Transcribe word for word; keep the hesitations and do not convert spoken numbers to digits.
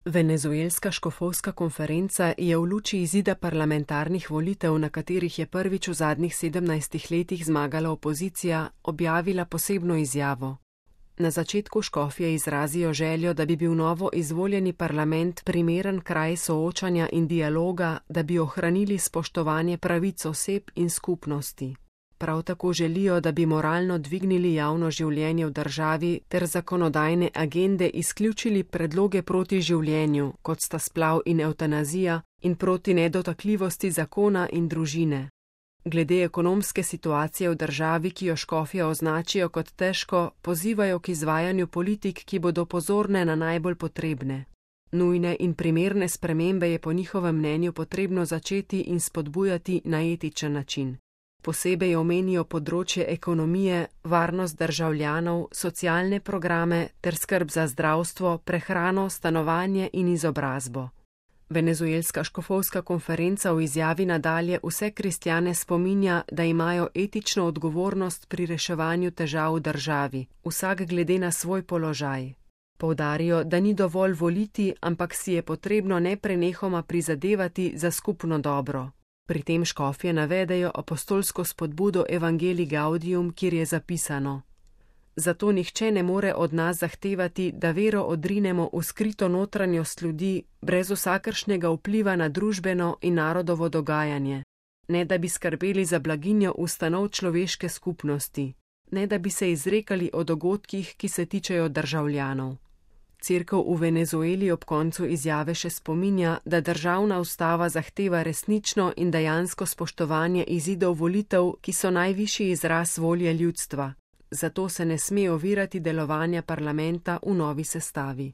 Venezuelska škofovska konferenca je v luči izida parlamentarnih volitev, na katerih je prvič v zadnjih sedemnajstih letih zmagala opozicija, objavila posebno izjavo. Na začetku škofje izrazijo željo, da bi bil novo izvoljeni parlament primeren kraj soočanja in dialoga, da bi ohranili spoštovanje pravic oseb in skupnosti. Prav tako želijo, da bi moralno dvignili javno življenje v državi ter zakonodajne agende izključili predloge proti življenju, kot sta splav in evtanazija, in proti nedotakljivosti zakona in družine. Glede ekonomske situacije v državi, ki jo škofje označijo kot težko, pozivajo k izvajanju politik, ki bodo pozorne na najbolj potrebne. Nujne in primerne spremembe je po njihovem mnenju potrebno začeti in spodbujati na etičen način. Posebej omenijo področje ekonomije, varnost državljanov, socialne programe ter skrb za zdravstvo, prehrano, stanovanje in izobrazbo. Venezuelska škofovska konferenca v izjavi nadalje vse kristjane spominja, da imajo etično odgovornost pri reševanju težav v državi, vsak glede na svoj položaj. Poudarijo, da ni dovolj voliti, ampak si je potrebno neprenehoma prizadevati za skupno dobro. Pri tem škofje navedejo apostolsko spodbudo Evangelii Gaudium, kjer je zapisano: Zato nihče ne more od nas zahtevati, da vero odrinemo v skrito notranjost ljudi, brez vsakršnega vpliva na družbeno in narodovo dogajanje, ne da bi skrbeli za blaginjo ustanov človeške skupnosti, ne da bi se izrekali o dogodkih, ki se tičejo državljanov. Cerkev v Venezueli ob koncu izjave še spominja, da državna ustava zahteva resnično in dejansko spoštovanje izidov volitev, ki so najvišji izraz volje ljudstva. Zato se ne sme ovirati delovanja parlamenta v novi sestavi.